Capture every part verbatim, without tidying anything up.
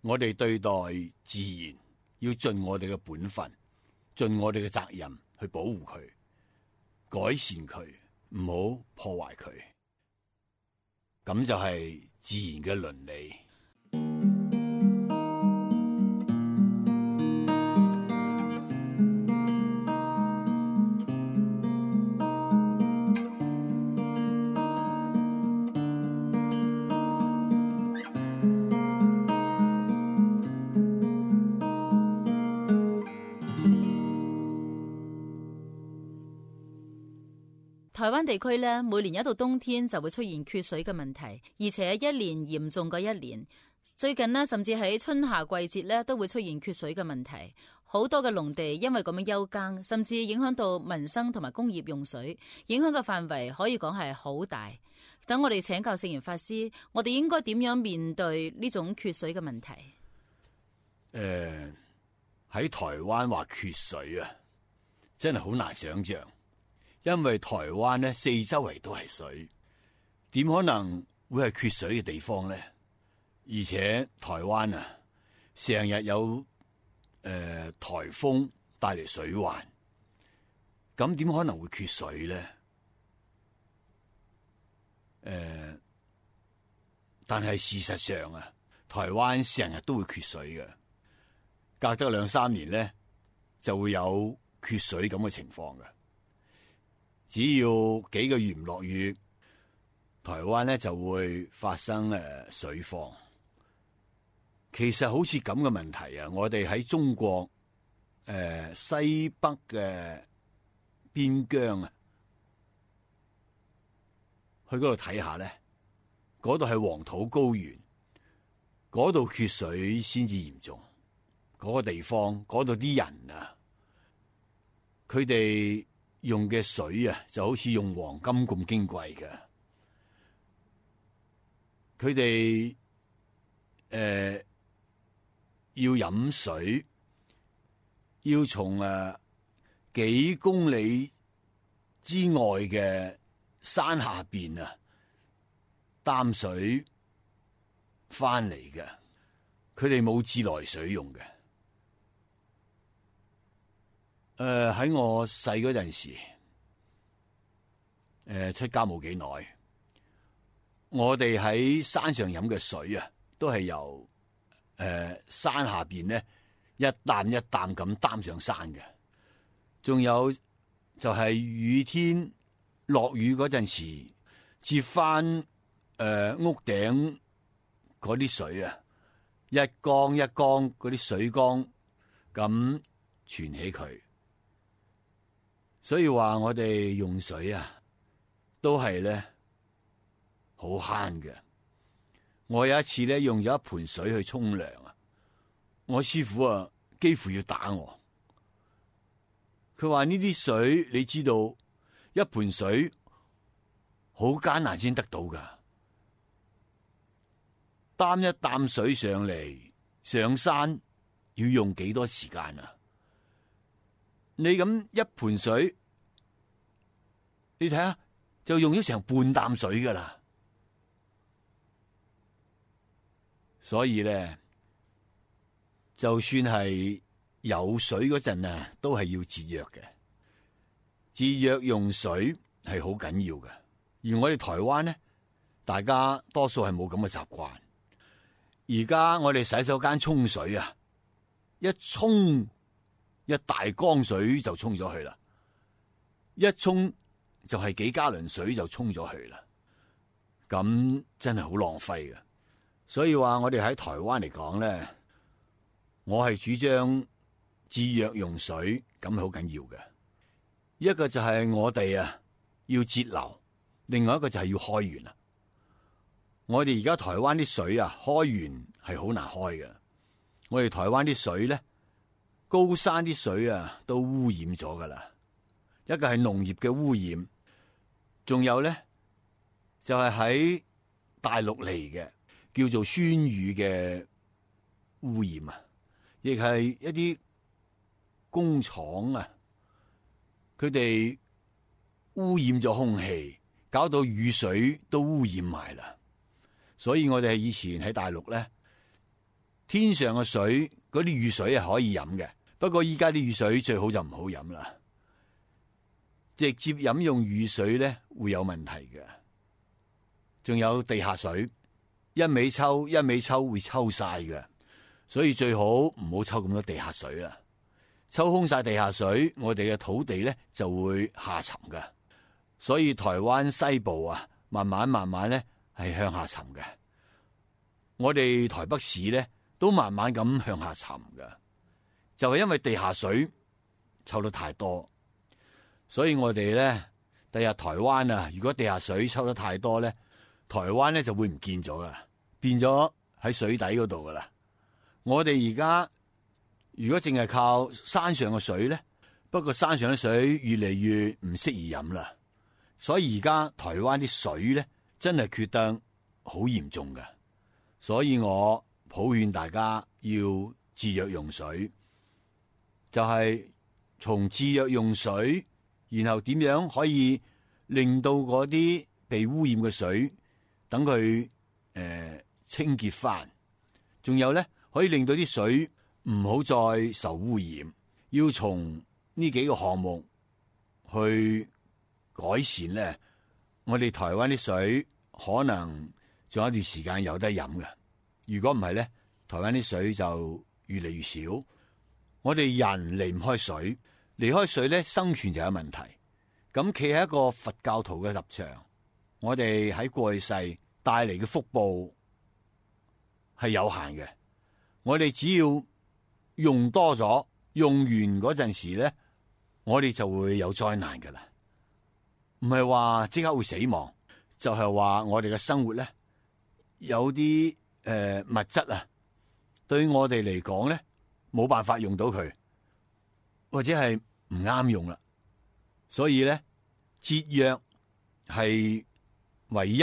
我哋對待自然要盡我哋嘅本分，盡我哋嘅責任去保護佢、改善佢，唔好破壞佢。咁就係自然嘅倫理。台灣地區咧，每年一到冬天就會出現缺水嘅問題，而且一年嚴重過一年。最近呢，甚至喺春夏季節咧都會出現缺水嘅問題。好多嘅農地因為咁樣休耕，甚至影響到民生同埋工業用水，影響嘅範圍可以講係好大。等我哋請教聖嚴法師，我哋應該點樣面對呢種缺水嘅問題？誒、呃，喺台灣話缺水啊，真係好難想象。因為台灣咧四周圍都係水，點可能會係缺水嘅地方咧？而且台灣啊，成日有誒、呃、颱風帶嚟水患，咁點可能會缺水咧？誒、呃，但係事實上啊，台灣成日都會缺水嘅，隔得兩三年咧就會有缺水咁嘅情況嘅。只要幾個月唔落雨，台灣咧就會發生誒水荒。其實好似咁嘅問題啊，我哋喺中國誒、呃、西北嘅邊疆啊，去嗰度睇下咧，嗰度係黃土高原，嗰度缺水先至嚴重。嗰、嗰個地方，嗰度啲人啊，佢哋用嘅水啊，就好似用黃金咁矜貴嘅。佢哋誒要飲水，要從誒、呃、幾公里之外嘅山下邊啊擔水翻嚟嘅。佢哋冇自來水用嘅。誒、呃，喺我細嗰陣時，誒、呃、出家冇幾耐，我哋喺山上飲嘅水啊，都係由誒、呃、山下邊咧一擔一擔咁擔上山嘅。仲有就係雨天落雨嗰陣時，接翻誒、呃、屋頂嗰啲水啊，一缸一缸嗰啲水缸咁存起佢。所以話我哋用水啊，都係咧好慳嘅。我有一次咧用咗一盆水去沖涼啊，我師傅啊幾乎要打我。佢話呢啲水你知道，一盆水好艱難先得到噶，擔一擔水上嚟上山要用幾多時間啊？你咁一盆水，你睇下就用咗成半擔水噶啦。所以咧，就算係有水嗰陣啊，都係要節約嘅。節約用水係好緊要嘅。而我哋台灣咧，大家多數係冇咁嘅習慣。而家我哋洗手間沖水啊，一沖一大缸水就沖咗去啦，一沖就係幾加侖水就沖咗去啦，咁真係好浪費嘅。所以話我哋喺台灣嚟講咧，我係主張節約用水，咁好緊要嘅。一個就係我哋啊要節流，另外一個就係要開源啊。我哋而家台灣啲水啊開源係好難開嘅。我哋台灣啲水咧，高山啲水啊都污染咗噶啦。一個係農業嘅污染，仲有咧就係喺大陸嚟嘅叫做酸雨嘅污染啊，亦係一啲工廠啊，佢哋污染咗空氣，搞到雨水都污染埋啦。所以我哋以前喺大陸咧，天上嘅水嗰啲雨水係可以飲嘅，不過依家啲雨水最好就唔好飲啦。直接飲用雨水咧會有問題嘅。仲有地下水，一味抽一味抽會抽晒嘅，所以最好唔好抽咁多地下水啦。抽空晒地下水，我哋嘅土地咧就會下沉嘅。所以台灣西部啊，慢慢慢慢咧係向下沉嘅。我哋台北市咧都慢慢咁向下沉嘅，就係因為地下水抽得太多。所以我哋咧第日台灣啊，如果地下水抽得太多咧，台灣咧就會唔見咗噶，變咗喺水底嗰度噶啦。我哋而家如果淨係靠山上嘅水咧，不過山上嘅水越嚟越唔適宜飲啦。所以而家台灣啲水咧真係缺得好嚴重噶。所以我普勸大家要節約用水，就係從節約用水，然後點樣可以令到嗰啲被污染嘅水等佢誒、呃、清潔翻，仲有咧可以令到啲水唔好再受污染。要從呢幾個項目去改善咧，我哋台灣啲水可能仲有一段時間有得飲嘅。如果唔係咧，台灣啲水就越嚟越少。我哋人離唔開水，離開水咧，生存就有問題。咁企喺一個佛教徒嘅立場，我哋喺過去世帶嚟嘅福報係有限嘅。我哋只要用多咗，用完嗰陣時咧，我哋就會有災難噶啦。唔係話即刻會死亡，就係話我哋嘅生活咧有啲誒、呃、物質啊，對我哋嚟講咧冇辦法用到佢，或者係唔啱用啦。所以咧，節約係唯一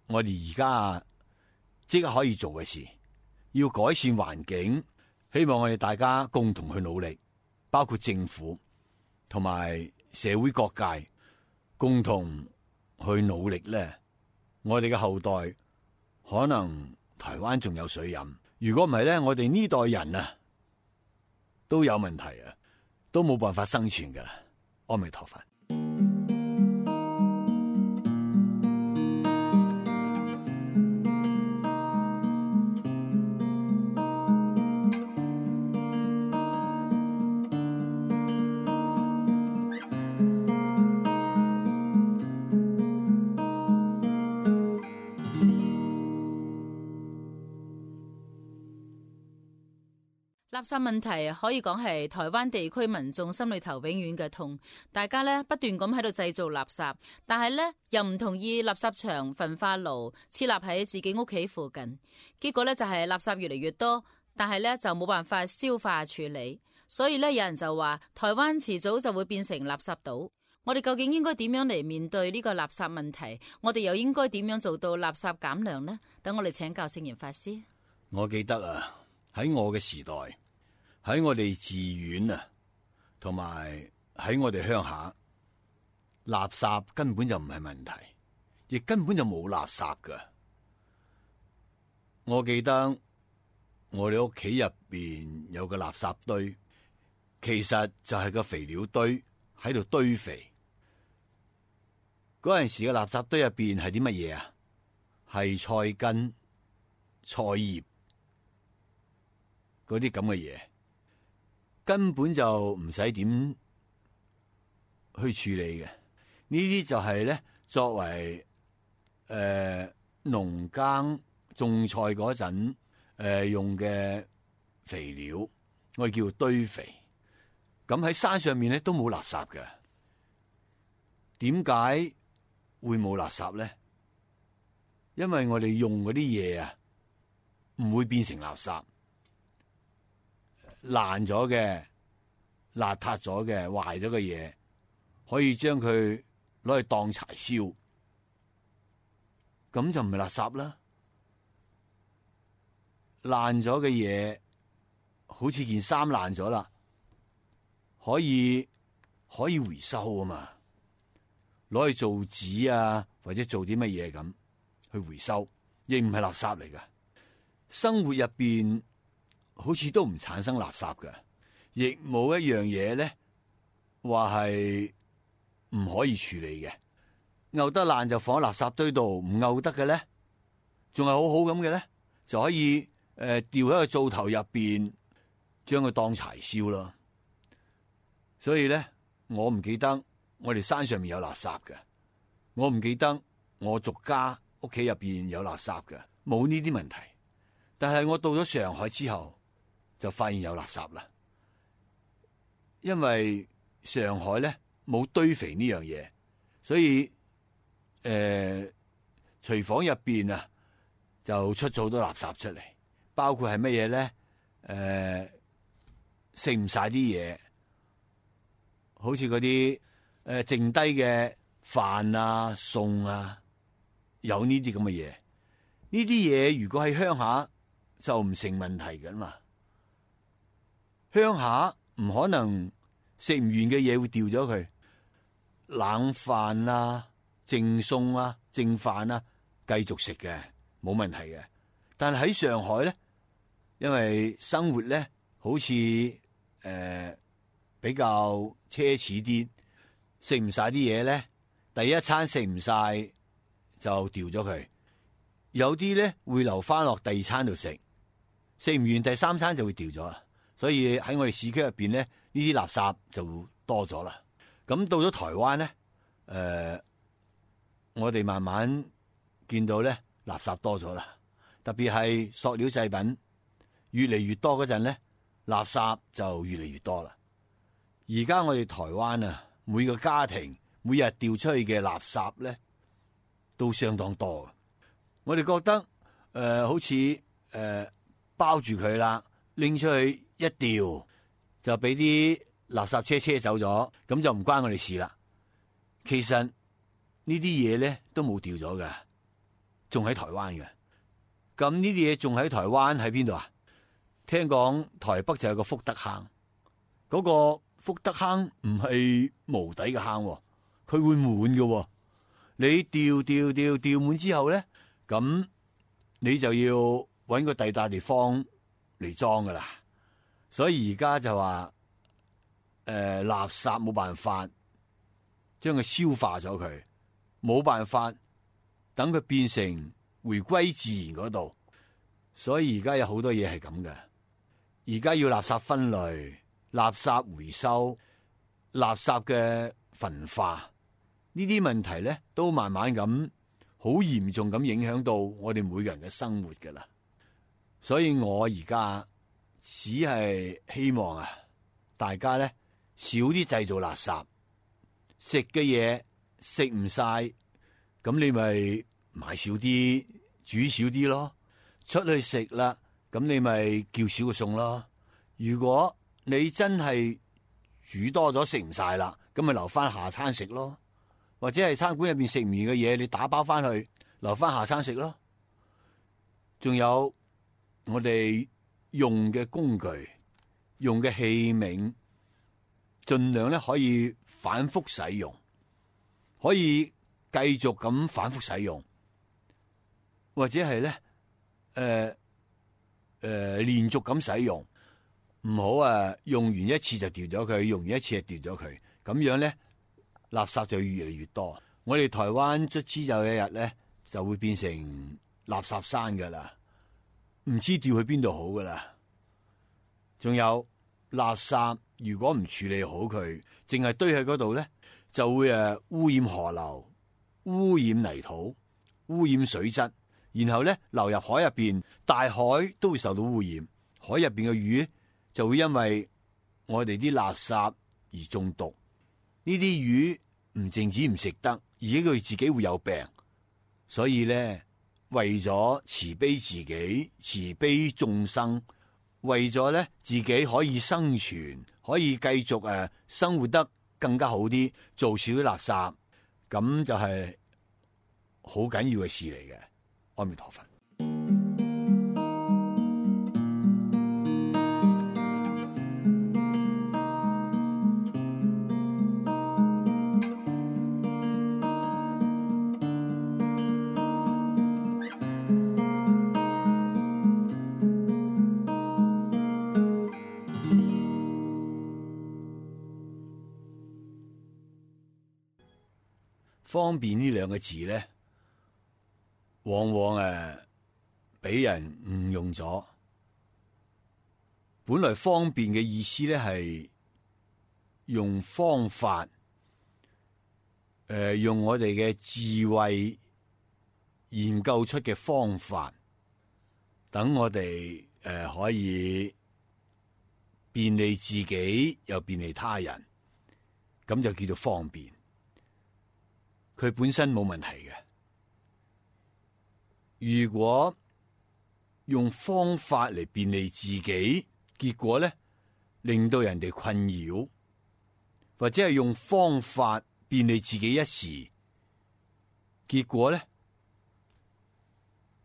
我哋而家即刻可以做嘅事。要改善環境，希望我哋大家共同去努力，包括政府同埋社會各界共同去努力咧。我哋嘅後代可能台灣仲有水飲，如果唔係咧，我哋呢代人啊都有問題啊，都冇辦法生存噶啦。阿彌陀佛。垃圾問題可以講係台灣地區民眾心裏頭永遠嘅痛，大家咧不斷咁喺度製造垃圾，但係咧又唔同意垃圾場、焚化爐設立喺自己屋企附近，結果咧就係垃圾越嚟越多，但係咧就冇辦法消化處理，所以咧有人就話台灣遲早就會變成垃圾島。我哋究竟應該點樣嚟面對呢個垃圾問題？我哋又應該點樣做到垃圾減量呢？等我哋請教聖嚴法師。我記得啊，喺我嘅時代，喺我哋寺院啊，同埋喺我哋鄉下，垃圾根本就唔係問題，亦根本就冇垃圾噶。我記得我哋屋企入邊有個垃圾堆，其實就係個肥料堆喺度堆肥。嗰陣時嘅垃圾堆入邊係啲乜嘢啊？係菜根、菜葉嗰啲咁嘅嘢。根本就唔使點去處理嘅，呢啲就係咧作為誒農、呃、耕種菜嗰陣誒用嘅肥料，我哋叫做堆肥。咁喺山上面咧都冇垃圾嘅，點解會冇垃圾咧？因為我哋用嗰啲嘢啊，唔會變成垃圾。爛咗嘅、邋遢咗嘅、壞咗嘅嘢，可以將佢攞去當柴燒，咁就唔係垃圾啦。爛咗嘅嘢，好似件衫爛咗啦，可以可以回收啊嘛，攞去做紙啊，或者做啲乜嘢咁去回收，亦唔係垃圾嚟噶。生活入邊好似都唔產生垃圾嘅，亦冇一樣嘢咧話係唔可以處理嘅。漚得爛就放喺垃圾堆度，唔漚得嘅咧，仲係好好咁嘅咧，就可以誒、呃、掉喺個灶頭入邊，將佢當柴燒咯。所以咧，我唔記得我哋山上面有垃圾嘅，我唔記得我族家屋企入邊有垃圾嘅，冇呢啲問題。但係我到咗上海之後，就發現有垃圾啦。因為上海咧冇堆肥呢樣嘢，所以誒廚房入邊啊就出咗好多垃圾出嚟，包括係乜嘢咧？誒食唔晒啲嘢。好似嗰啲誒剩低嘅飯啊、餸啊，有呢啲咁嘅嘢。呢啲嘢如果喺鄉下就唔成問題㗎嘛。鄉下唔可能食唔完嘅嘢會掉咗佢，冷飯啊、剩餸啊、剩飯啊，繼續食嘅，冇問題嘅。但係喺上海咧，因為生活咧好似誒。呃比較奢侈啲，食唔晒啲嘢咧，第一餐食唔晒就掉咗佢。有啲咧會留翻落第二餐度食，食唔完第三餐就會掉咗啦。所以喺我哋市區入邊咧，呢啲垃圾就多咗啦。咁到咗台灣咧，誒、呃，我哋慢慢見到咧垃圾多咗啦，特別係塑料製品越嚟越多嗰陣咧，垃圾就越嚟越多啦。而家我哋台灣啊，每個家庭每日掉出去嘅垃圾咧，都相當多。我哋覺得誒、呃，好似誒、呃、包住佢啦，拎出去一掉，就俾啲垃圾車車走咗，咁就唔關我哋事啦。其實呢啲嘢咧都冇掉咗㗎，仲喺台灣嘅。咁呢啲嘢仲喺台灣喺邊度啊？聽講台北就有個福德坑，嗰、那個。福德坑唔係無底嘅坑，佢會滿嘅。你掉掉掉掉滿之後咧，咁你就要搵個第笪地方嚟裝噶啦。所以而家就話，誒、呃，垃圾冇辦法將佢消化咗佢，冇辦法等佢變成回歸自然嗰度。所以而家有好多嘢係咁嘅。而家要垃圾分類。垃圾回收、垃圾嘅焚化，呢啲問題咧，都慢慢咁好嚴重咁影響到我哋每個人嘅生活噶啦。所以我而家只係希望啊，大家咧少啲製造垃圾，食嘅嘢食唔晒，咁你咪買少啲，煮少啲咯。出去食啦，咁你咪叫少個餸咯。如果你真係煮多咗食唔晒啦，咁咪留翻下餐食咯，或者係餐館入邊食唔完嘅嘢，你打包翻去留翻下餐食咯。仲有我哋用嘅工具、用嘅器皿，盡量咧可以反覆使用，可以繼續咁反覆使用，或者係咧誒誒連續咁使用。唔好啊！用完一次就掉咗佢，用完一次就掉咗佢，咁樣咧，垃圾就越嚟越多。我哋台灣卒之有一日咧，就會變成垃圾山噶啦，唔知掉去邊度好噶啦。仲有垃圾，如果唔處理好佢，淨係堆喺嗰度咧，就會誒污染河流、污染泥土、污染水質，然後咧流入海入邊，大海都會受到污染，海入邊嘅魚就會因為我哋啲垃圾而中毒。呢啲魚唔淨止唔食得，而且佢自己會有病。所以咧，為咗慈悲自己、慈悲眾生，為咗咧自己可以生存，可以繼續誒生活得更加好啲，做少啲垃圾，咁就係好緊要嘅事嚟嘅。阿彌陀佛。方便呢兩個字咧，往往誒俾人誤用咗。本來方便嘅意思咧係用方法，誒、呃、用我哋嘅智慧研究出嘅方法，等我哋誒、呃、可以便利自己又便利他人，咁就叫做方便。佢本身冇問題嘅。如果用方法嚟便利自己，結果咧令到人哋困擾，或者係用方法便利自己一時，結果咧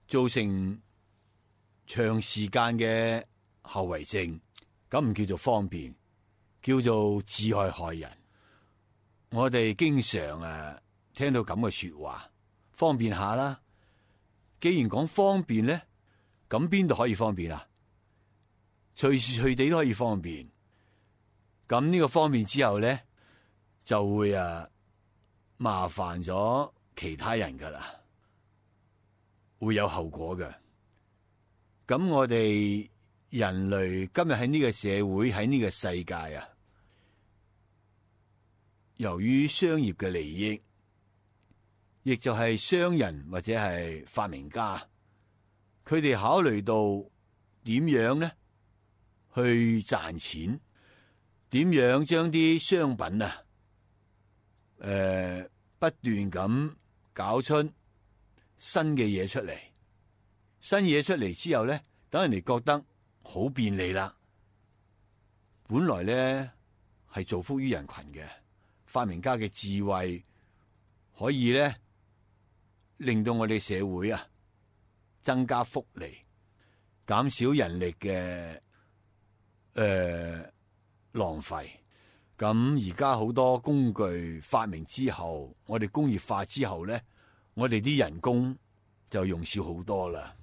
造成長時間嘅後遺症，咁唔叫做方便，叫做自害害人。我哋經常誒聽到咁嘅說話，方便下啦。既然講方便咧，咁邊度可以方便啊？隨時隨地都可以方便。咁呢個方便之後咧，就會啊麻煩咗其他人噶啦，會有後果嘅。咁我哋人類今日喺呢個社會，喺呢個世界啊，由於商業嘅利益，亦就係商人或者係發明家，佢哋考慮到點樣咧去賺錢，點樣將啲商品啊，誒、呃、不斷咁搞出新嘅嘢出嚟，新嘢出嚟之後咧，等人哋覺得好便利啦。本來咧係造福於人群嘅，發明家嘅智慧可以咧令到我哋社會啊增加福利，減少人力嘅誒、呃、浪費。咁而家好多工具發明之後，我哋工業化之後咧，我哋啲人工就用少好多啦，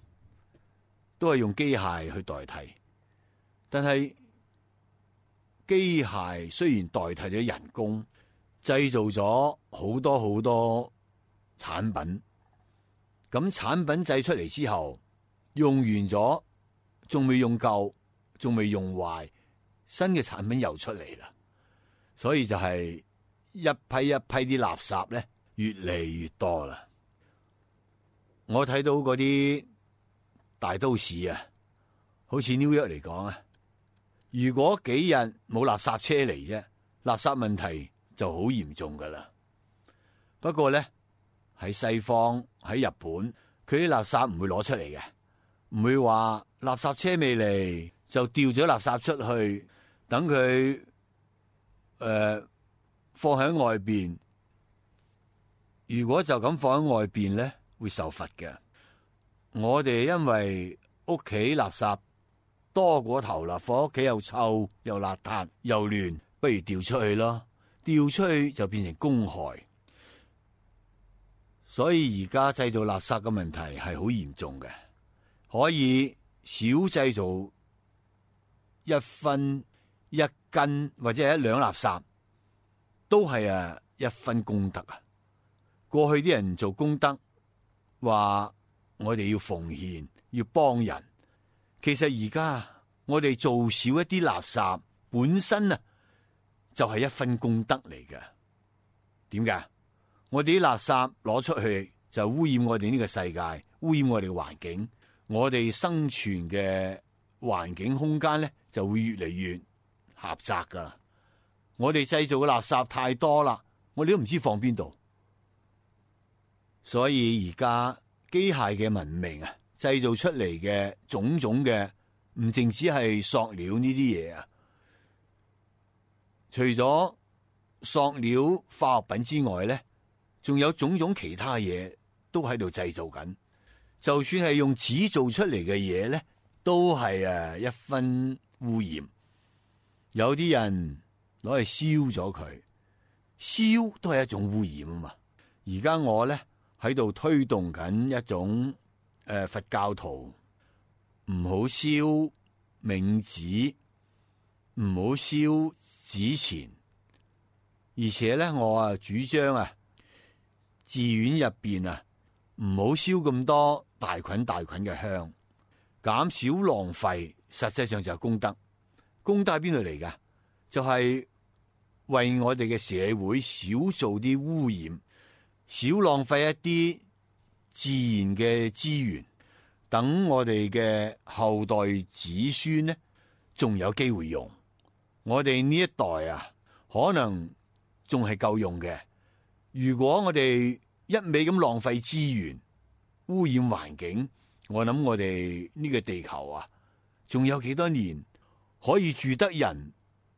都係用機械去代替。但係機械雖然代替咗人工，製造咗好多好多產品，咁產品製出嚟之後，用完咗，仲未用夠，仲未用壞，新嘅產品又出嚟啦。所以就係一批一批啲垃圾咧，越嚟越多啦。我睇到嗰啲大都市啊，好似紐約嚟講啊，如果幾日冇垃圾車嚟啫，垃圾問題就好嚴重噶啦。不過咧喺西方喺日本，佢啲垃圾唔會攞出嚟嘅，唔會話垃圾車未嚟就掉咗垃圾出去，等佢誒、呃、放喺外邊。如果就咁放喺外邊咧，會受罰嘅。我哋因為屋企垃圾多過頭啦，放屋企又臭又邋遢又亂，不如掉出去咯。掉出去就變成公害，所以而家製造垃圾嘅問題係好嚴重嘅。可以少製造一分一斤或者係一兩垃圾，都係啊一分功德啊！過去啲人做功德，話我哋要奉獻，要幫人。其實而家我哋做少一啲垃圾，本身啊就係一分功德嚟嘅。點解？我哋啲垃圾攞出去就污染我哋呢個世界，污染我哋嘅環境，我哋生存嘅環境空間咧就會越嚟越狹窄噶。我哋製造嘅垃圾太多啦，我哋都唔知放邊度。所以而家機械嘅文明啊，製造出嚟嘅種種嘅，唔淨止係塑料呢啲嘢啊，除咗塑料化學品之外咧，仲有種種其他嘢都喺度製造緊。就算係用紙做出嚟嘅嘢咧，都係誒一分污染。有啲人攞去燒咗佢，燒都係一種污染啊嘛。而家我咧喺度推動緊一種誒、呃、佛教徒唔好燒冥紙，唔好燒紙錢，而且咧我啊主張啊寺院入邊啊，唔好燒咁多大捆大捆嘅香，減少浪費，實際上就係功德。功德喺邊度嚟噶？就係、是、為我哋嘅社會少做啲污染，少浪費一啲自然嘅資源，等我哋嘅後代子孫呢，仲有機會用。我哋呢一代啊，可能仲係夠用嘅。如果我哋一味咁浪費資源，污染環境，我諗我哋呢個地球啊，仲有幾多年可以住得人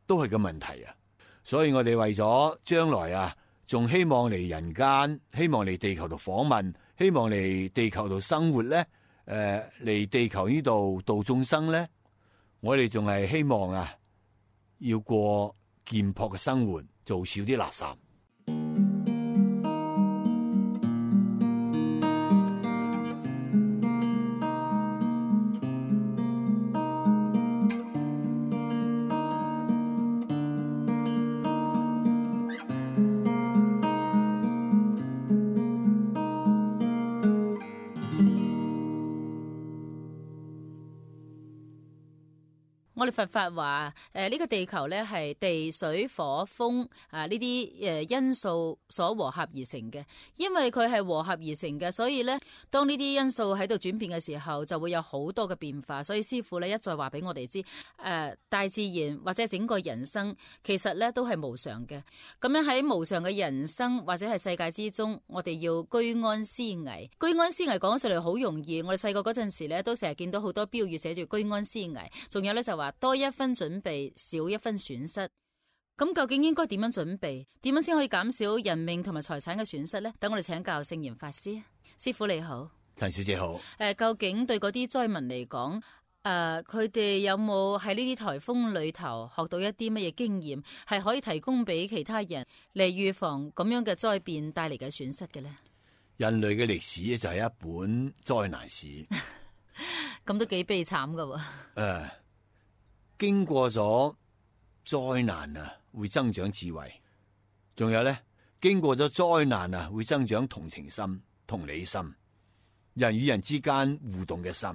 都係個問題啊！所以我哋為咗將來啊，仲希望嚟人間，希望嚟地球度訪問，希望嚟地球度生活咧，誒、呃、嚟地球呢度度眾生咧，我哋仲係希望啊，要過簡樸嘅生活，做少啲垃圾。我哋佛法話，誒、呃、呢、這個地球咧係地水火風啊呢啲誒因素所和合而成嘅。因為佢係和合而成嘅，所以咧當呢啲因素喺度轉變嘅時候，就會有好多嘅變化。所以師父咧一再話俾我哋知，誒、呃、大自然或者整個人生其實咧都係無常嘅。咁樣喺無常嘅人生或者係世界之中，我哋要居安思危。居安思危講上嚟好容易，我哋細個嗰陣時咧都成日見到好多標語寫住居安思危，仲有咧就話多一分準備，少一分損失。咁究竟應該點樣準備？點樣先可以減少人命同埋財產嘅損失呢？等我哋請教聖嚴法師。師父你好。陳小姐好。誒，究竟對嗰啲災民嚟講，誒，佢哋有冇喺呢啲颱風裏頭學到一啲乜嘢經驗，係可以提供俾其他人嚟預防咁樣嘅災變帶嚟嘅損失嘅呢？人類嘅歷史咧就係一本災難史，咁都幾悲慘噶喎。誒，經過咗災難啊，會增長智慧，仲有咧，經過咗災難啊，會增長同情心、同理心，人與人之間互動嘅心。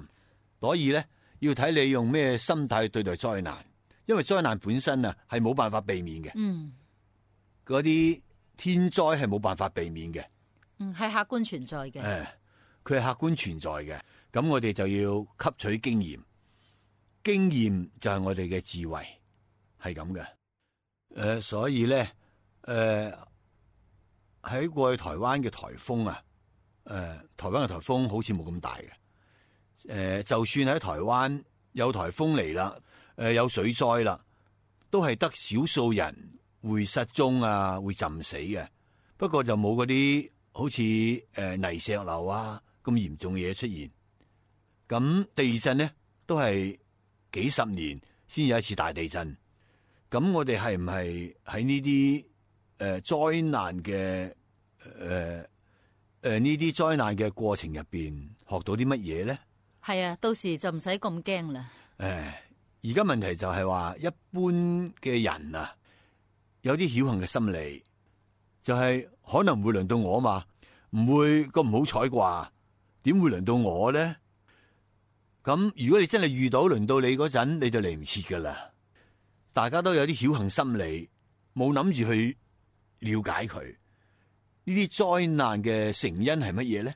所以咧，要睇你用咩心態對待災難，因為災難本身啊係冇辦法避免嘅。嗯，嗰啲天災係冇辦法避免嘅。嗯，係客觀存在嘅。誒、呃，佢係客觀存在嘅。咁我哋就要吸取經驗，經驗就係我哋嘅智慧，係咁嘅。誒、呃，所以咧，誒、呃、喺過去台灣嘅颱風啊，誒、呃、台灣嘅颱風好似冇咁大嘅。誒、呃，就算喺台灣有颱風嚟啦，誒、呃、有水災啦，都係得少數人會失蹤啊，會浸死嘅。不過就冇嗰啲好似誒、呃、泥石流啊咁嚴重嘅嘢出現。咁地震咧都係幾十年先有一次大地震。咁我哋係唔係喺呢啲誒災難嘅誒誒呢啲災難嘅過程入邊學到啲乜嘢咧？係啊，到時就唔使咁驚啦。誒，而家問題就係話一般嘅人啊，有啲僥倖嘅心理，就係、是、可能會輪到我嘛，唔會咁唔好彩啩？點會輪到我咧？咁如果你真係遇到輪到你嗰陣，你就嚟唔切噶啦。大家都有啲僥倖心理，冇諗住去了解佢呢啲災難嘅成因係乜嘢咧？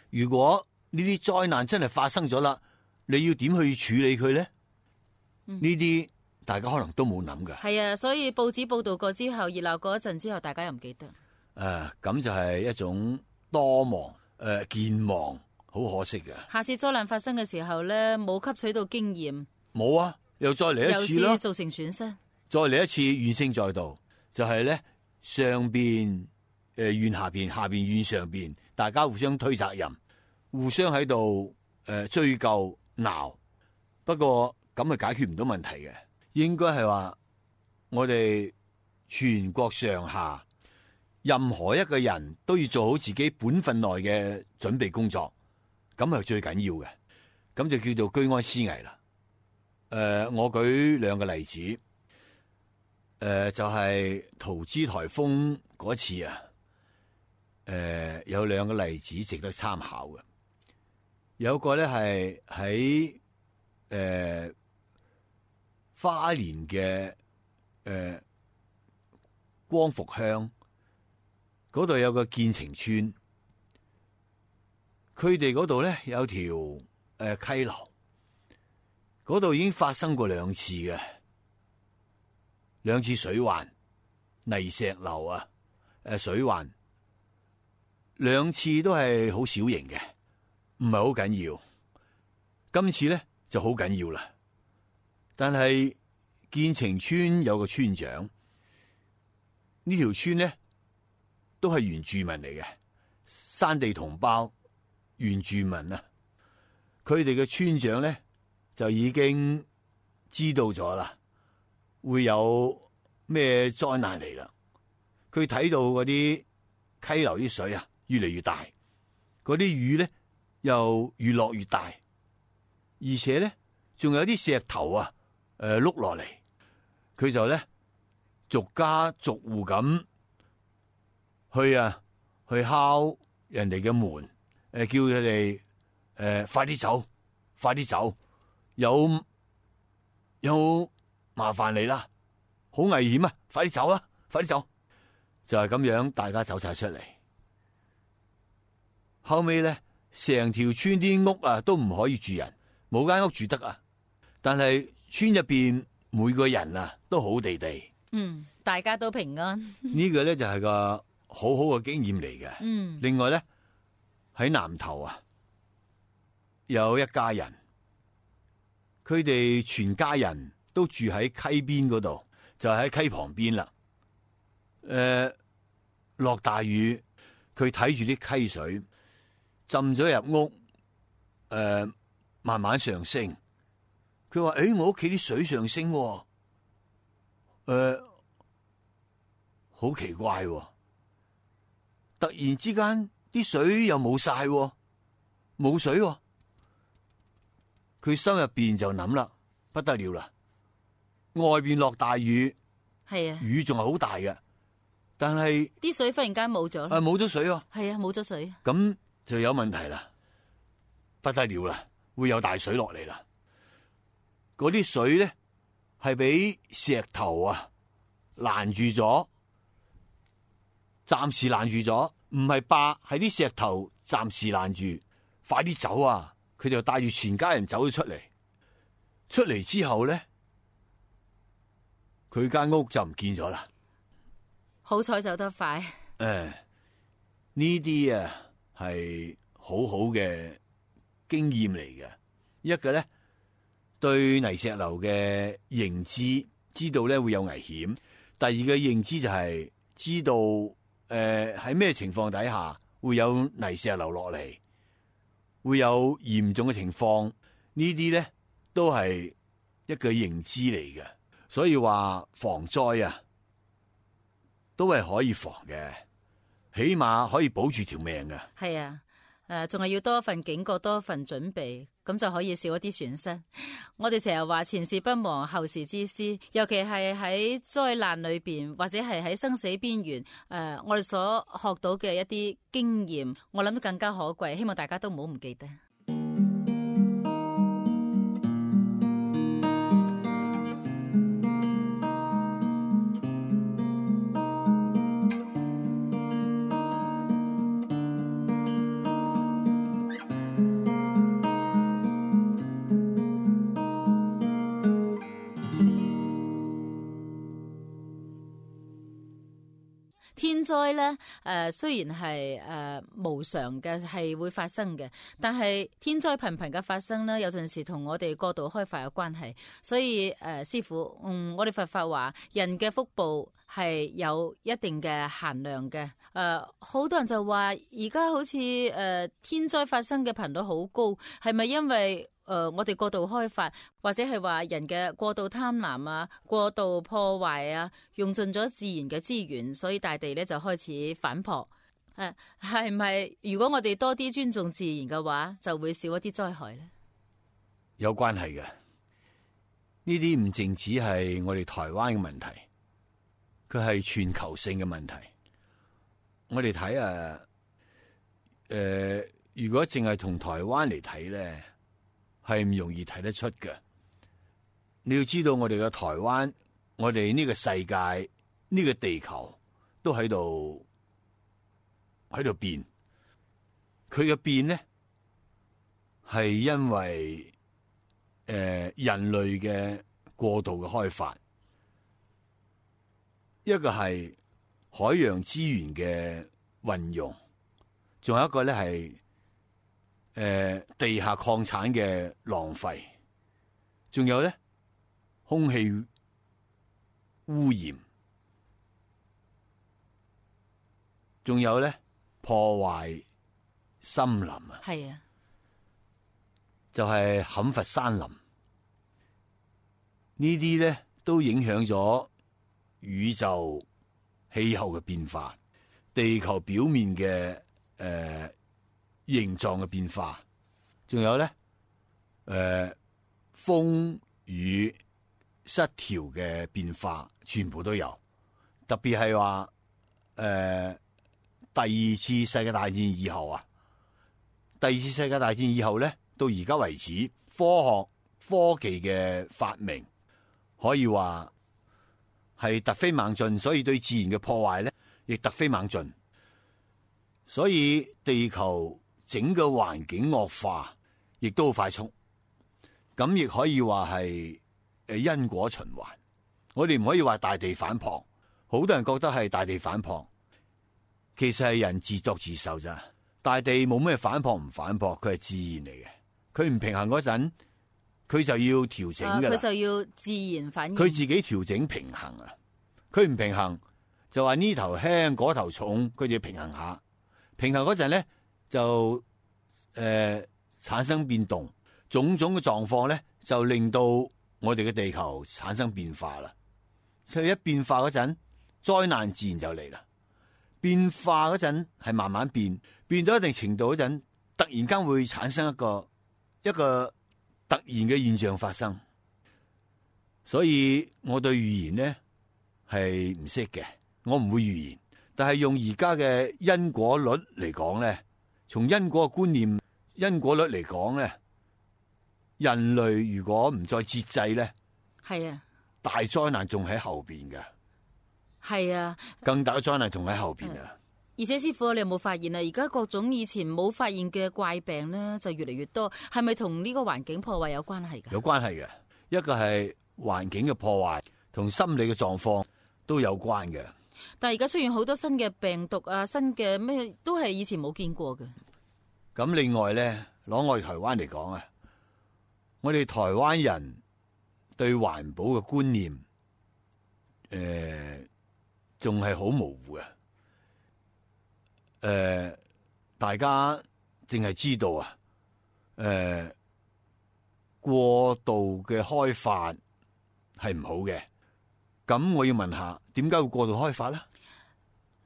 如果呢啲災難真係發生咗啦，你要點去處理佢咧？呢啲、嗯、大家可能都冇諗噶。係啊，所以報紙報道過之後，熱鬧過一陣之後，大家又唔記得。誒、啊，咁就係一種多忘誒、呃、健忘。好可惜嘅。下次災難發生嘅時候咧，冇吸取到經驗，冇啊，又再嚟一次咯，造成損失。再嚟一次怨聲載道，就係、是、咧上邊誒怨下邊，下邊怨上邊，大家互相推責任，互相喺度誒追究鬧。不過咁係解決唔到問題嘅，應該係話我哋全國上下任何一個人都要做好自己本分內嘅準備工作。咁係最緊要嘅，咁就叫做居安思危啦。誒、呃，我舉兩個例子，誒、呃，就係、是、桃芝颱風嗰次啊，誒有兩個例子值得參考嘅。有個咧係喺誒花蓮嘅誒、呃、光復鄉嗰度有個建成村，佢哋嗰度咧有條誒、呃、溪流，嗰度已經發生過兩次嘅，兩次水患、泥石流啊，誒、呃、水患，兩次都係好小型嘅，唔係好緊要。今次咧就好緊要啦。但係建成村有個村長，呢條村咧都係原住民嚟嘅，山地同胞原住民啊。佢哋嘅村長咧就已經知道咗啦，會有咩災難嚟啦。佢睇到嗰啲溪流啲水啊越嚟越大，嗰啲雨咧又越落越大，而且咧仲有啲石頭啊誒碌落嚟，佢就咧逐家逐戶咁去啊去敲人哋嘅門，誒叫佢哋誒快啲走，快啲走，有有麻煩嚟啦，好危險啊，快啲走啦，快啲走，就係咁樣，大家走晒出嚟。後尾咧，成條村啲屋啊都唔可以住人，冇間屋住得啊，但係村入邊每個人啊都好地地，嗯，大家都平安。呢個咧就係個好好嘅經驗嚟嘅。嗯，另外咧喺南頭啊，有一家人，佢哋全家人都住喺溪邊嗰度，就喺溪旁邊啦。誒、呃，落大雨，佢睇住啲溪水浸咗入屋，誒、呃，慢慢上升。佢話：誒，我屋企啲水上升，誒、呃，好奇怪，突然之間啲水又冇晒，冇水。佢心入邊就諗啦，不得了啦！外邊落大雨，係啊，雨仲係好大嘅，但係啲水忽然間冇咗。啊，冇咗水喎。係啊，冇咗水。咁就有問題啦，不得了啦，會有大水落嚟啦。嗰啲水咧係俾石頭啊攔住咗，暫時攔住咗，唔係壩，係啲石頭暫時攔住，快啲走啊！佢就帶住全家人走咗出嚟，出嚟之後咧，佢間屋就唔見咗啦。好彩走得快。誒、哎，呢啲啊係好好嘅經驗嚟嘅。一個咧對泥石流嘅認知，知道咧會有危險；第二個認知就係知道誒喺咩情況底下會有泥石流落嚟，會有嚴重嘅情況。呢啲咧都係一個認知嚟嘅。所以話防災啊，都係可以防嘅，起碼可以保住條命嘅。係啊，誒，仲係要多一份警覺，多一份準備，咁就可以少一啲損失。我哋成日話前事不忘，後事之師，尤其係喺災難裏邊，或者係喺生死邊緣，誒、呃，我哋所學到嘅一啲經驗，我諗更加可貴。希望大家都唔好唔記得。天災咧，誒、呃，雖然係誒、呃、無常嘅，係會發生嘅，但係天災頻頻嘅發生咧，有陣時同我哋過度開發有關係。所以誒、呃，師父，嗯，我哋佛法話，人嘅福報係有一定嘅限量嘅。誒、呃，好多人就話，而家好似誒、呃、天災發生嘅頻率好高，係咪因為？誒、呃，我哋過度開發，或者係話人嘅過度貪婪啊，過度破壞啊，用盡咗自然嘅資源，所以大地咧就開始反撲。誒、啊，係咪如果我哋多啲尊重自然嘅話，就會少一啲災害咧？有關係嘅，呢啲唔淨止係我哋台灣嘅問題，佢係全球性嘅問題。我哋睇誒呃，如果淨係同台灣嚟睇咧，係唔容易睇得出嘅。你要知道，我哋嘅台灣，我哋呢個世界，呢個地球都喺度喺度變。佢嘅變咧，係因為誒、呃、人類嘅過度嘅開發，一個係海洋資源嘅運用，仲有一個咧係誒地下礦產嘅浪費，仲有咧空氣污染，仲有咧破壞森林啊，係啊，就係砍伐山林，呢啲咧都影響咗宇宙氣候嘅變化，地球表面嘅誒、呃、形狀嘅變化，仲有咧誒、呃、風雨失調嘅變化，全部都有。特別係話誒第二次世界大戰以後啊，第二次世界大戰以後咧，到而家為止，科學科技嘅發明可以話係突飛猛進，所以對自然嘅破壞咧亦突飛猛進，所以地球整個環境惡化亦都好快速，咁亦可以話係誒因果循環。我哋唔可以話大地反撲，好多人覺得係大地反撲，其實係人自作自受咋。大地冇咩反撲唔反撲，佢係自然嚟嘅。佢唔平衡嗰陣，佢就要調整噶啦。佢就要自然反應。佢自己調整平衡啊！佢唔平衡就話呢頭輕嗰頭重，佢就要平衡下。平衡嗰陣咧就誒、呃、產生變動，種種嘅狀況咧就令到我哋嘅地球產生變化啦。所以一變化嗰陣，災難自然就嚟啦。變化嗰陣係慢慢變，變到一定程度嗰陣，突然間會產生一個一個突然嘅現象發生。所以我對預言呢係唔識嘅，我唔會預言。但係用而家嘅因果律嚟講咧，從因果嘅觀念、因果律嚟講咧，人類如果唔再節制咧，係啊，大災難仲喺後邊嘅。係啊，更大嘅災難仲喺後邊啊！而且師傅，你有冇發現啊？而家各種以前冇發現嘅怪病咧，就越嚟越多，係咪同呢個環境破壞有關係噶？有關係嘅，一個係環境嘅破壞，同心理嘅狀況都有關嘅。但係而家出現好多新嘅病毒啊，新嘅咩都係以前冇見過嘅。咁另外咧，攞我哋台灣嚟講啊，我哋台灣人對環保嘅觀念，誒、呃。仲係好模糊嘅，誒、呃，大家淨係知道啊，誒、呃，過度嘅開發係唔好嘅。咁我要問下，點解會過度開發咧？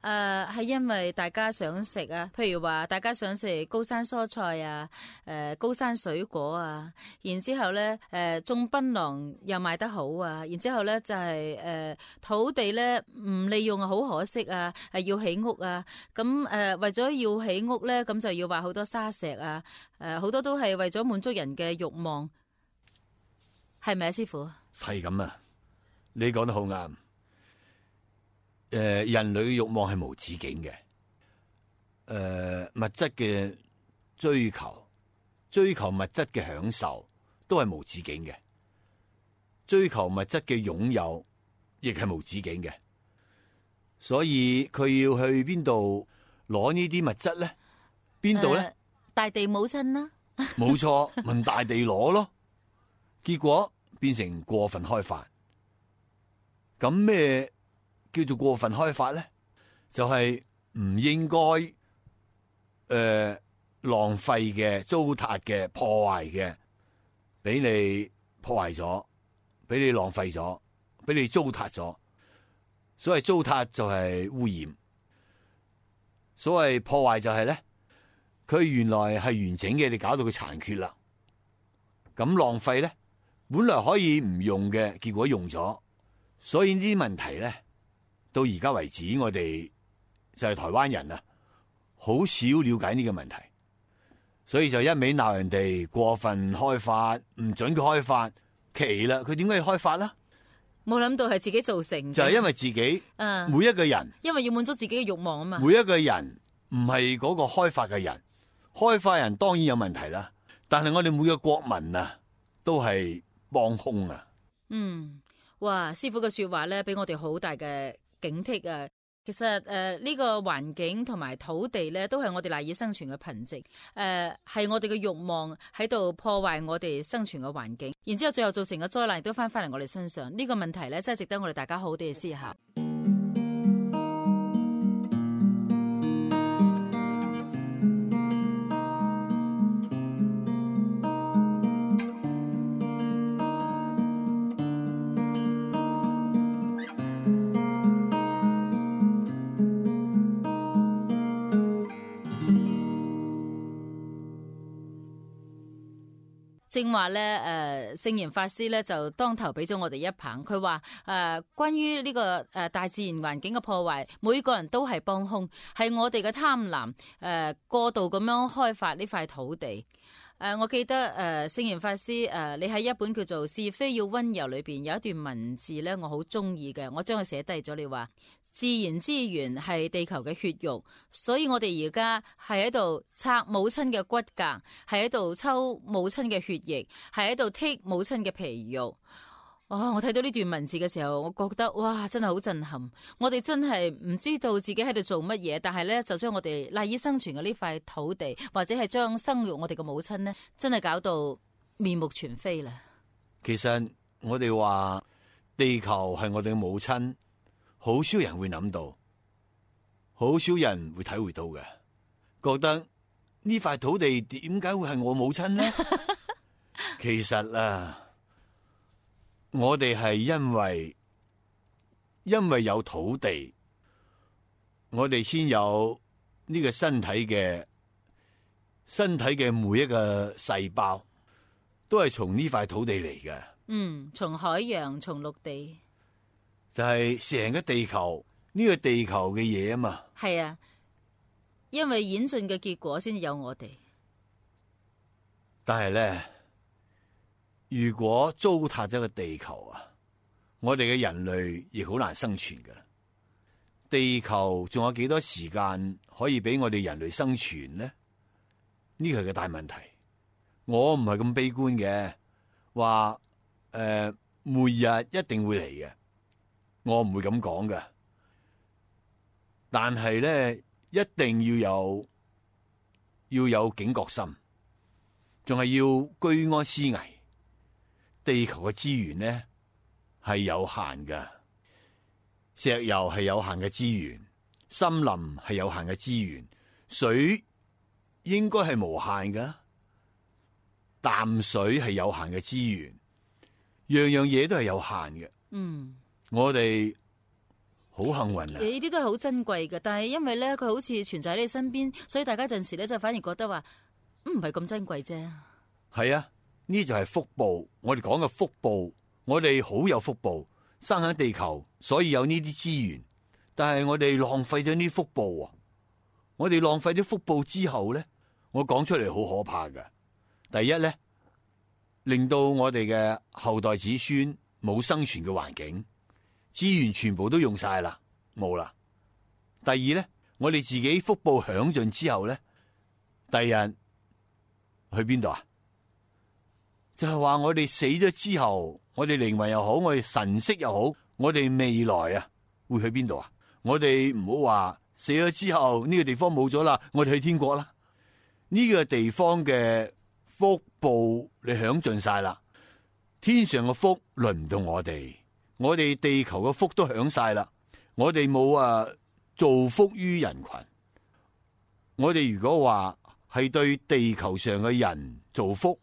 誒、呃，係因為大家想食啊，譬如話大家想食高山蔬菜啊，誒、呃，高山水果啊，然之後咧，誒、呃，種檳榔又賣得好啊，然之後咧就係、是、誒、呃、土地咧唔利用啊，好可惜啊，係要起屋啊，咁誒、呃、為咗要起屋咧，咁就要話好多沙石啊，誒、呃，好多都係為咗滿足人嘅慾望，係咪啊，師傅？係咁啊，你講得好啱。誒、呃，人類嘅慾望係無止境嘅。誒、呃，物質嘅追求，追求物質嘅享受，都係無止境嘅。追求物質嘅擁有，亦係無止境嘅。所以佢要去邊度攞呢啲物質咧？邊度咧？呃、大地母親啦，冇錯，問大地攞咯。結果變成過分開發。咁咩叫做過分開發咧？就係、是、唔應該誒、呃、浪費嘅、糟蹋嘅、破壞嘅，俾你破壞咗，俾你浪費咗，俾你糟蹋咗。所謂糟蹋就係污染，所謂破壞就係咧，佢原來係完整嘅，你搞到佢殘缺啦。咁浪費咧，本來可以唔用嘅，結果用咗。所以呢啲問題咧，到而家為止，我哋就係台灣人啊，好少了解呢個問題。所以就一味鬧人哋過分開發，唔准佢開發，奇啦！佢點解要開發啦？冇諗到係自己造成嘅，就係因為自己，嗯，每一個人，因為要滿足自己嘅慾望啊嘛。每一個人唔係嗰個開發嘅人，開發人當然有問題啦。但係我哋每個國民啊，都係幫兇啊。嗯，哇！師傅嘅說話咧，俾我哋好大嘅警惕啊！其實誒，呢、呃這個環境同埋土地咧，都係我哋賴以生存嘅憑藉。誒、呃，係我哋嘅慾望喺度破壞我哋生存嘅環境，然之後最後造成嘅災難亦都翻翻嚟我哋身上。呢、這個問題咧，真係值得我哋大家好好地去思考。正話咧，誒、呃，聖嚴法師咧就當頭俾咗我哋一棒。佢話誒，關於呢、這個誒、呃、大自然環境嘅破壞，每個人都係幫兇，係我哋嘅貪婪誒、呃、過度咁樣開發呢塊土地。誒、呃，我記得誒，聖、呃、嚴法師誒、呃，你喺一本叫做《是非要溫柔》裏邊有一段文字咧，我好中意嘅，我將佢寫低咗。你話自然資源係地球嘅血肉，所以我哋而家係喺度拆母親嘅骨骼，係喺度抽母親嘅血液，係喺度剔母親嘅皮肉。哦，我睇到呢段文字嘅時候，我覺得哇，真係好震撼。我哋真係唔知道自己喺度做乜嘢，但係咧就將我哋賴以生存嘅呢塊土地，或者係將生育我哋嘅母親呢，真係搞到面目全非啦。其實我哋話地球係我哋嘅母親，好少人會諗到，好少人會體會到嘅，覺得呢塊土地點解會係我母親呢？其實啊，我哋係因為因為有土地，我哋先有呢個身體嘅身體嘅每一個細胞，都係從呢塊土地嚟嘅。嗯，從海洋，從陸地。就係成個地球呢、這個地球嘅嘢啊嘛，係啊，因為演進嘅結果先至有我哋。但係咧，如果糟蹋咗個地球啊，我哋嘅人類亦好難生存噶。地球仲有幾多時間可以俾我哋人類生存呢？呢個係個大問題。我唔係咁悲觀嘅，話誒末日一定會嚟嘅。我唔會咁講㗎，但係咧一定要有要有警覺心，仲係要居安思危。地球嘅資源咧係有限㗎，石油係有限嘅資源，森林係有限嘅資源，水應該係無限㗎，淡水係有限嘅資源，樣樣嘢都係有限嘅。嗯。我哋好幸運啊！呢啲都係好珍貴嘅，但係因為咧佢好似存在喺你身邊，所以大家陣時咧就反而覺得話唔係咁珍貴啫。係啊，呢就係福報。我哋講嘅福報，我哋好有福報，生喺地球，所以有呢啲資源。但係我哋浪費咗呢啲福報啊！我哋浪費咗福報之後咧，我講出嚟好可怕㗎。第一咧，令到我哋嘅後代子孫冇生存嘅環境。資源全部都用晒啦，冇啦。第二咧，我哋自己福報享盡之後咧，第日去邊度啊？就係話我哋死咗之後，我哋靈魂又好，我哋神識又好，我哋未來啊會去邊度啊？我哋唔好話死咗之後呢個地方冇咗啦，我哋去天國啦。呢個地方嘅福報你享盡晒啦，天上嘅福輪唔到我哋。我哋地球嘅福都享晒啦，我哋冇啊造福於人群。我哋如果話係對地球上嘅人造福，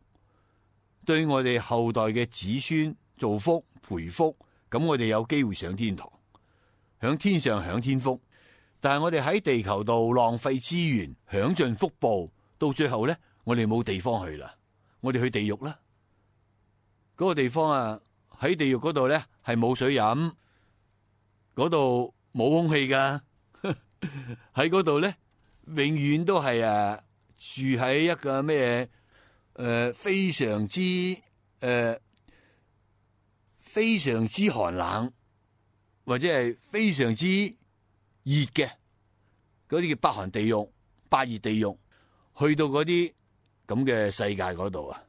對我哋後代嘅子孫造福培福，咁我哋有機會上天堂，響天上享天福。但係我哋喺地球度浪費資源，享盡福報，到最後咧，我哋冇地方去啦，我哋去地獄啦。嗰個地方啊，喺地獄嗰度咧係冇水飲，嗰度冇空氣噶，喺嗰度咧永遠都係誒住喺一個咩誒、呃、非常之誒、呃、非常之寒冷，或者係非常之熱嘅嗰啲叫北韓地獄、八熱地獄，去到嗰啲咁嘅世界嗰度啊，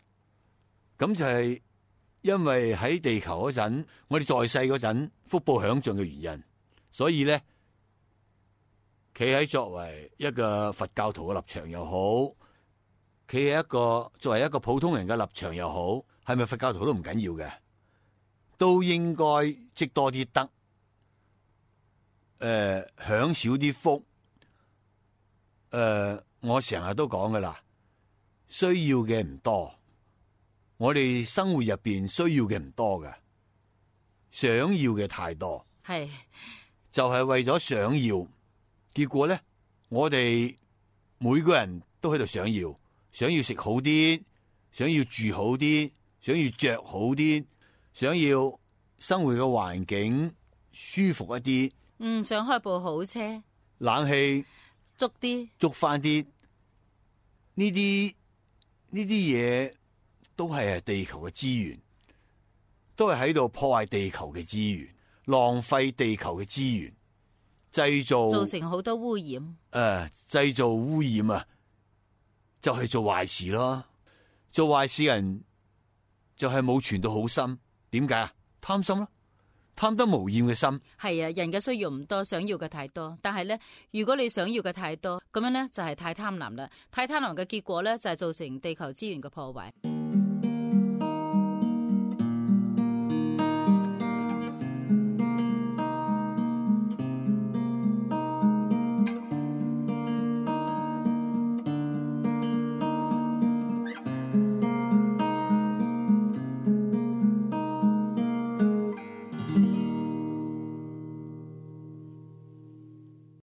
咁就係因為喺地球嗰陣，我哋在世嗰陣福報享盡嘅原因，所以咧，企喺作為一個佛教徒嘅立場又好，企喺一個作為一個普通人嘅立場又好，係咪佛教徒都唔緊要嘅，都應該積多啲德，誒、呃，享少啲福，誒、呃，我成日都講噶啦，需要嘅唔多。我哋生活入邊需要嘅唔多嘅，想要嘅太多，係就係為咗想要，結果咧，我哋每個人都喺度想要，想要食好啲，想要住好啲，想要着好啲，想要生活嘅環境舒服一啲，嗯，想開部好車，冷氣足啲，捉翻啲，呢啲呢啲嘢。都係地球嘅資源，都係喺度破壞地球嘅資源，浪費地球嘅資源，製造造成好多污染。誒、呃，製造污染啊，就係、是、做壞事咯。做壞事人就係冇傳到好心，點解啊？貪心咯，貪得無厭嘅心。係啊，人嘅需要唔多，想要嘅太多。但係咧，如果你想要嘅太多，咁樣咧就係太貪婪啦。太貪婪嘅結果咧就係造成地球資源嘅破壞。